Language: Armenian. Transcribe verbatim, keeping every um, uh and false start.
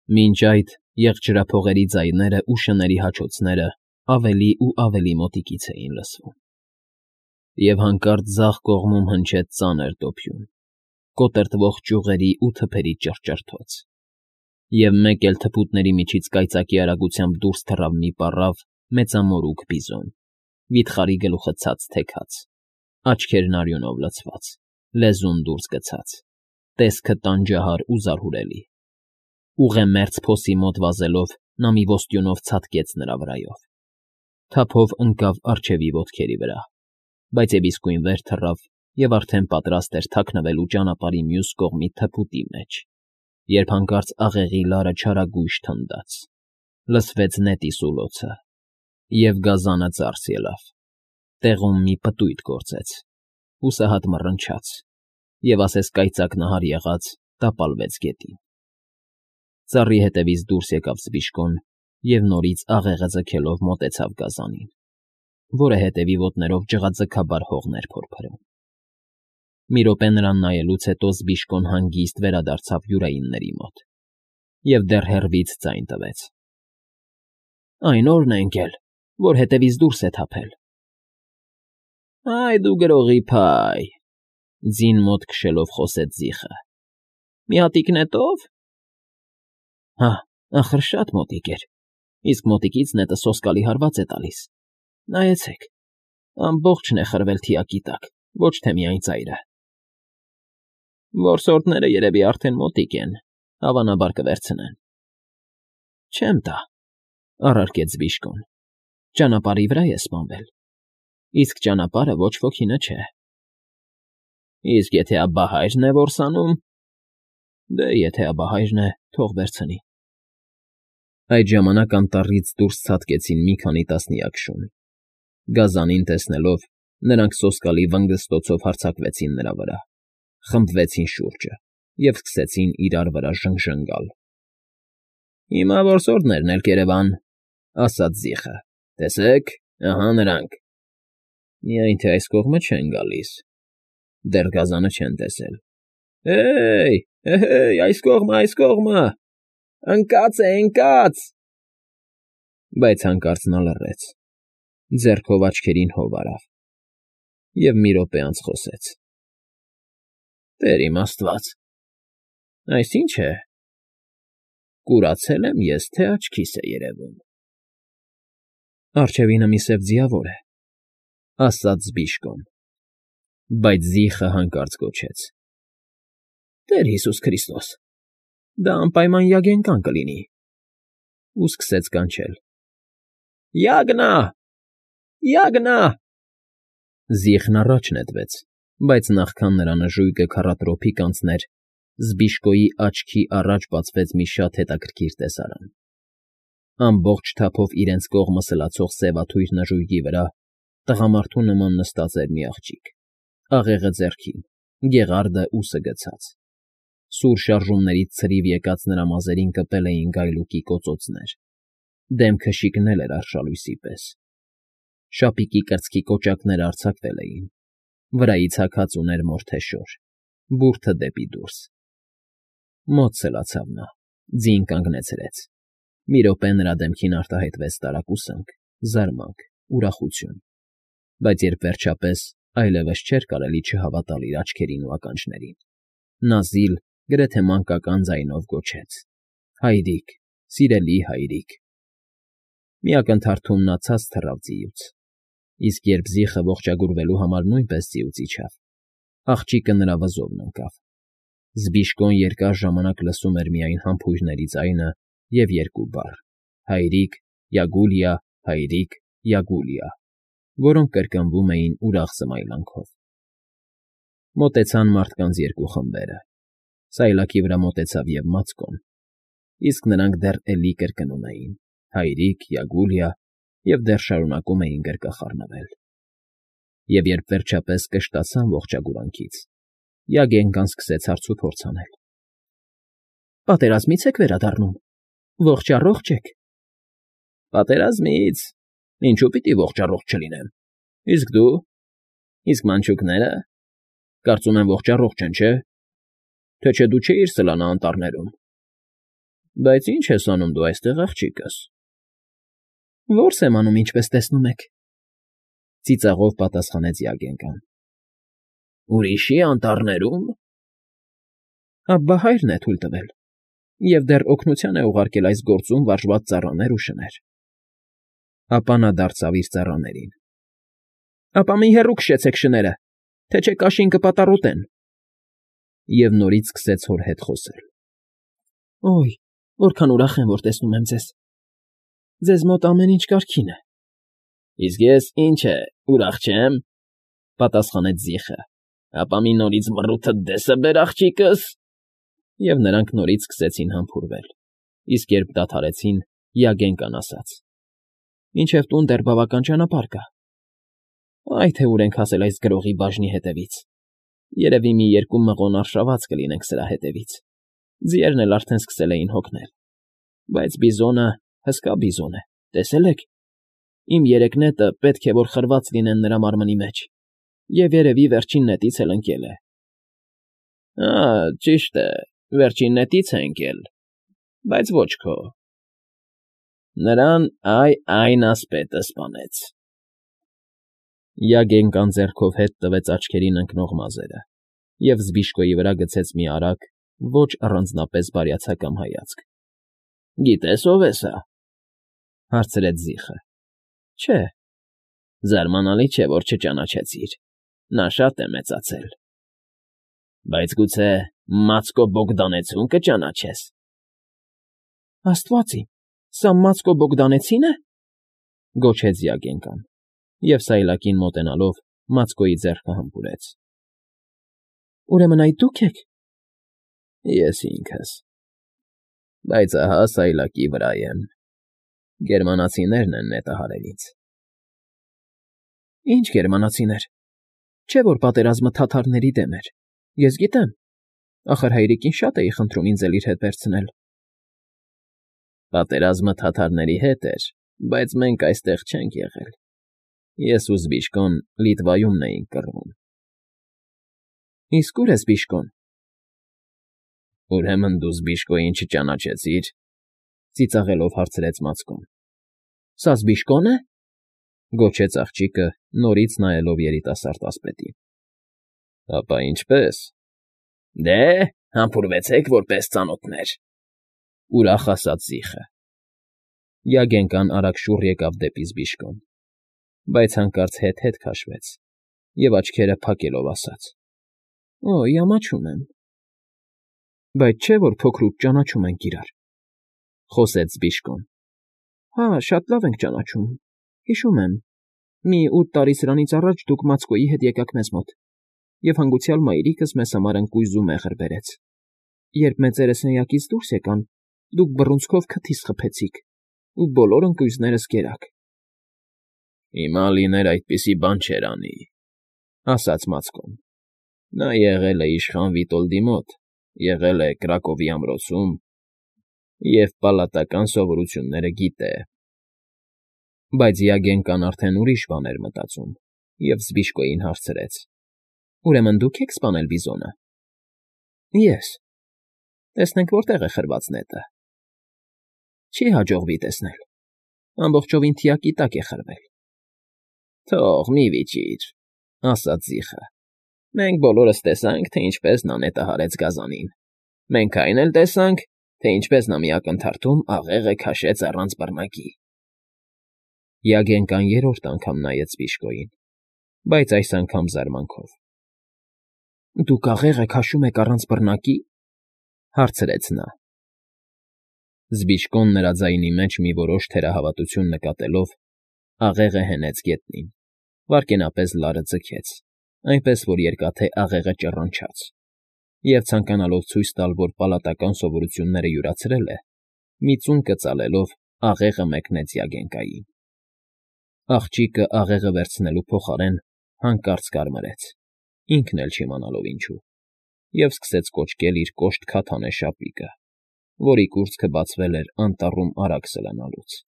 Մինչ այդ եղջրափողերի ձայներն ու շների հաչոցները ավելի ու ավելի մոտիկից էին լսվում, և հանկարծ ձախ կողմում հնչեց ծանր դոփյուն, կոտրտվող ճյուղերի ու թփերի ճռճռոց, և մեկ էլ թփուտների միջից կայծակի արագությամբ դուրս թռավ մի պառավ մեծամորուք բիզոն, վիթխարի գլուխը ցած թեքած, աչքերն արյունով լցված, լեզուն դուրս գցած, տեսքը տանջահար ու զարհուրելի։ Ուղեմերձ փոսի մոտ վազելով նա մի ոստյունով ցատկեց նրա վրայով, թափով ընկավ առջևի ոտքերի վրա, բայց և իսկույն վեր թռավ և արդեն պատրաստ էր թաքնվելու ճանապարհի մյուս կողմի թփուտի մեջ, երբ հանկարծ աղեղի լարը չարագույժ թնդաց, լսվեց նետի սուլոցը, և գազանը ձարս ելավ, տեղում մի պտույտ գործեց, հուսահատ մռնչաց և, ասես կայծակնահար եղած, տապալվեց գետին։ Ծառի ետևից դուրս եկավ Զբիշկոն և նորից աղեղը ձգելով մոտեցավ գազանին, որը հետևի ոտներով ջղաձգաբար հողն էր փորփրում։ Մի րոպե նրան նայելուց հետո Զբիշկոն հանգիստ վերադարձավ յուրայինների մոտ և դեռ հեռվից ձայն տվեց. ֊ Այն ո՞րն է ընկել, որ հետևից դուրս է թափել։ ֊ Այ դու գրողի փայ,֊ ձին մոտ քշելով խոսեց Զիխը։֊ Մի հատիկ նետո՞վ։ ֊ Հա, ախր շատ մոտիկ էր, իսկ մոտիկից նետը սոսկալի հարված է տալիս, նայեցեք, ամբողջն է խրվել թիակի տակ, ոչ թե միայն ծայրը։ ֊ Որսորդները երևի արդեն մոտիկ են, հավանաբար կվերցնեն։ ֊ Չեմ տա,֊ առարկեց Զբիշկոն,֊ ճանապարհի վրա է սպանվել, իսկ ճանապարհը ոչ ոքինը չէ։ ֊ Իսկ եթե աբահա՞յրն է որսանում։ ֊ Դե, եթե աբահայրն է, թող վերցնի։ Այդ ժամանակ անտառից դուրս ցատկեցին մի քանի տասնյակ շուն։ Գազանին տեսնելով, նրանք սոսկալի վնգստոցով հարձակվեցին նրա վրա, խմբվեցին շուրջը և սկսեցին իրար վրա ժնգժնգալ։ ֊ Հիմա որսորդներն էլ կերևան,֊ ասաց Զիխը։֊ Տեսեք, ահա նրանք… Միայն թե այս կողմը չեն գալիս, դեռ գազանը չեն տեսել։ ֊ Հե՜յ, հե՜յ, այս կողմը, այս կողմը… Ընկած է, ընկած… Բայց հանկարծ նա լռեց, ձեռքով աչքերին հով արավ և մի րոպե անց խոսեց. ֊ Տեր իմ աստված… Այս ի՞նչ է… Կուրացե՞լ եմ ես, թե աչքիս է երևում… ֊ Առջևինը մի սև ձիավոր է,֊ ասաց Զբիշկոն, բայց Զիխը հանկարծ գոչեց. ֊ Տեր Հիսուս Քրիստոս… Դա անպայման յագենկան կլինի… ու սկսեց կանչել. Յագնա՜… Յագնա՜… Զիխն առաջ նետվեց, բայց նախքան նրա նժույգը քառատրոփիկ անցներ, Զբիշկոյի աչքի առաջ բացվեց մի շատ հետաքրքիր տեսարան. ամբողջ թափով իրենց կողմը սլացող սևաթույր նժույգի վրա տղամարդու նման նստած էր մի աղջիկ, աղեղը ձեռքին, գեղարդը ուսը գցած. սուր շարժումներից ցրիվ եկած նրա մազերին կպել էին գայլուկի կոծոցներ, դեմքը շիկնել էր արշալույսի պես, շապիկի կրծքի կոճակներն արձակվել էին, վրայից հագած ուներ մորթեշոր, բուրդը դեպի դուրս։ Մոտ սլացավ նա, ձին կանգնեցրեց, մի րոպե նրա դեմքին արտահայտվեց տարակուսանք, զարմանք, ուրախություն, բայց երբ վերջապես այլևս չէր կարելի չհավատալ իր աչքերին ու ականջներին, նա զիլ, գրեթե մանկական ձայնով գոչեց. «Հայրիկ, սիրելի հայրիկ»։ Մի ակնթարթում նա ցած թռավ ձիուց, իսկ երբ Զիխը ողջագուրվելու համար նույնպես ձիուց իջավ, աղջիկը նրա վզովն ընկավ։ Զբիշկոն երկար ժամանակ լսում էր միայն համբույրների ձայնը և երկու բառ. «Հայրիկ, Յագուլիա, հայրիկ, Յագուլիա», որոնք կրկնվում էին ուրախ զմայլանքով։ Մոտեցան մարդկանց երկու խմբերը, սայլակի վրա մոտեցավ և Մացկոն, իսկ նրանք դեռ էլի կրկնում էին. «Հայրիկ, Յագուլիա» և դեռ շարունակում էին գրկախառնվել։ Եվ երբ վերջապես կշտացան ողջագուրանքից, Յագենկան սկսեց հարցուփորձ անել. ֊ Պատերազմի՞ց եք վերադառնում, ողջ առո՞ղջ եք։ ֊ Պատերազմի՞ց… Ինչու պիտի ողջ առողջ չլինեմ, իսկ դու… Իսկ մանչուկնե՞րը… Կարծում եմ ողջ առողջ են, չէ՞… Թե չէ դու չէիր սլանա անտառներում։ ֊ Բայց ի՞նչ ես անում դու այստեղ, աղջիկս։ ֊ Որս եմ անում, ինչպես տեսնում եք,֊ ծիծաղով պատասխանեց Յագենկան։ ֊ Ուրիշի անտառներում։ ֊ Աբբա հայրն է թույլ տվել և դեռ օգնության է ուղարկել այս գործում վարժված ծառաներ ու շներ… Ապա նա դարձավ իր ծառաներին. ֊ Ապա մի հեռու քշեցեք շները, թե չէ կաշին կպատառոտեն… Եվ նորից սկսեց հոր հետ խոսել. ֊ Օյ, որքան ուրախ եմ, որ տեսնում եմ ձեզ… Ձեզ մոտ ամեն ինչ կարգին է… ֊ Իսկ ես, ինչ է, ուրախ չե՞մ,֊ պատասխանեց զիխը։֊ Ապա մի նորից մռութդ դես֊ս֊ս բեր, աղջիկս… Եվ նրանք նորից սկսեցին համբուրվել, իսկ երբ դադարեցին, Յագենկան ասաց. ֊ Մինչև տուն դեռ բավական ճանապարհ կա… Այ թե ուր ենք հասել այս գրողի բաժնի հետևից… Երևի մի երկու մղոն արշաված կլինենք սրա հետևից… Ձիերն էլ արդեն սկսել էին հոգնել… Բայց բիզոնը… հսկա բիզոն է, տեսե՞լ եք… Իմ երեք նետը պետք է որ խրված լինեն նրա մարմնի մեջ, և երևի վերջին նետից էլ ընկել է… ֊ Ա՜, ճիշտ է, վերջին նետից է ընկել, բայց ոչ քո… Նրան ա՛յ֊ա՛յն ասպետը սպանեց… Յագենկան ձեռքով հետ տվեց աչքերին ընկնող մազերը և Զբիշկոյի վրա գցեց մի արագ, ոչ առանձնապես բարյացակամ հայացք։ ֊ Գիտե՞ս ով է սա,֊ հարցրեց զիխը։ ֊ Չէ… Զարմանալի չէ, որ չճանաչեցիր… Նա շատ է մեծացել… Բայց գուցե Մացկո Բոգդանեցու՞ն կճանաչես… ֊ Աստված իմ, սա Մացկո Բոգդանեցի՞ն է,֊ գոչեց Յագենկան և սայլակին մոտենալով Մացկոյի ձեռքը համբուրեց։ ֊ Ուրեմն այդ դու՞ք եք… ֊ Ես ինքս… Բայց ահա սայլակի վրա եմ… Գերմանացիներն են նետը հարել ինձ… ֊ Ի՞նչ գերմանացիներ… Չէ՞ որ պատերազմը թաթարների դեմ էր… Ես գիտեմ… Ախր հայրիկին շատ էի խնդրում ինձ էլ իր հետ վերցնել… ֊ Պատերազմը թաթարների հետ էր, բայց մենք այստեղ չենք եղել… Ես ու Զբիշկոն Լիտվայումն էինք կռվում… ֊ Իսկ ո՞ւր է Զբիշկոն… ֊ Ուրեմն դու Զբիշկոյին չճանաչեցի՞ր,֊ ծիծաղելով հարցրեց Մացկոն։ ֊ Սա Զբիշկո՞ն է,֊ գոչեց աղջիկը, նորից նայելով երիտասարդ ասպետին։ ֊ Ապա ինչպե՞ս… Դե, համբուրվեցեք որպես ծանոթներ,֊ ուրախ ասաց զիխը։ Յագենկան արագ շուռ եկավ դեպի Զբիշկոն, բայց հանկարծ հետ֊հետ քաշվեց և աչքերը փակելով ասաց. ֊ Օ՜յ, ամաչում եմ… ֊ Բայց չէ՞ որ փոքրուց ճանաչում ենք իրար,֊ խոսեց Զբիշկոն։ ֊ Հա, շատ լավ ենք ճանաչում… Հիշում եմ, մի ութ տարի սրանից առաջ դուք Մացկոյի հետ եկաք մեզ մոտ, և հանգուցյալ մայրիկս մեզ համար ընկույզ ու մեղր բերեց… Երբ մեծերը սենյակից դուրս եկան, դուք բռունցքով քթիս խփեցիք ու բոլոր ընկույզներս կերաք… ֊ Հիմա լիներ այդպիսի բան չէր անի,֊ ասաց Մացկոն։ ֊ Նա եղել է իշխան Վիտոլդի մոտ, եղել է Կրակովի ամրոցում և պալատական սովորությունները գիտե… Բայց Յագենկան արդեն ուրիշ բան էր մտածում և Զբիշկոյին հարցրեց. ֊ Ուրեմն դուք եք սպանել բիզոնը… ֊ Ես… Տեսնենք որտեղ է խրված նետը… ֊ Չի հաջողվի տեսնել… Ամբողջովին թիակի տակ է խրվել… ֊ Թող, մի վիճիր,֊ ասաց զիխը։֊ Մենք բոլորս տեսանք, թե ինչպես նա նետը հարեց գազանին… Մենք այն էլ տեսանք, թե ինչպես նա մի ակնթարթում աղեղը քաշեց առանց բռնակի… Յագենկան երրորդ անգամ նայեց Զբիշկոյին, բայց այս անգամ զարմանքով։ ֊ Դուք աղեղը քաշում եք առանց բռնակի,֊ հարցրեց նա։ Զբիշկոն նրա ձայնի մեջ մի որոշ թերահավատություն նկատելով, աղեղը հենեց գետնին, վայրկենապես լարը ձգեց, այնպես որ երկաթե աղեղը ճռռնչաց, և ցանկանալով ցույց տալ, որ պալատական սովորությունները յուրացրել է, մի ծունկ ծալելով աղեղը մեկնեց Յագենկային։ Աղջիկը աղեղը վերցնելու փոխարեն հանկարծ կարմրեց, ինքն էլ չիմանալով ինչու, և սկսեց կոճկել իր կոշտ քաթանե շապիկը, որի կուրծքը բացվել էր անտառում արագ սլանալուց։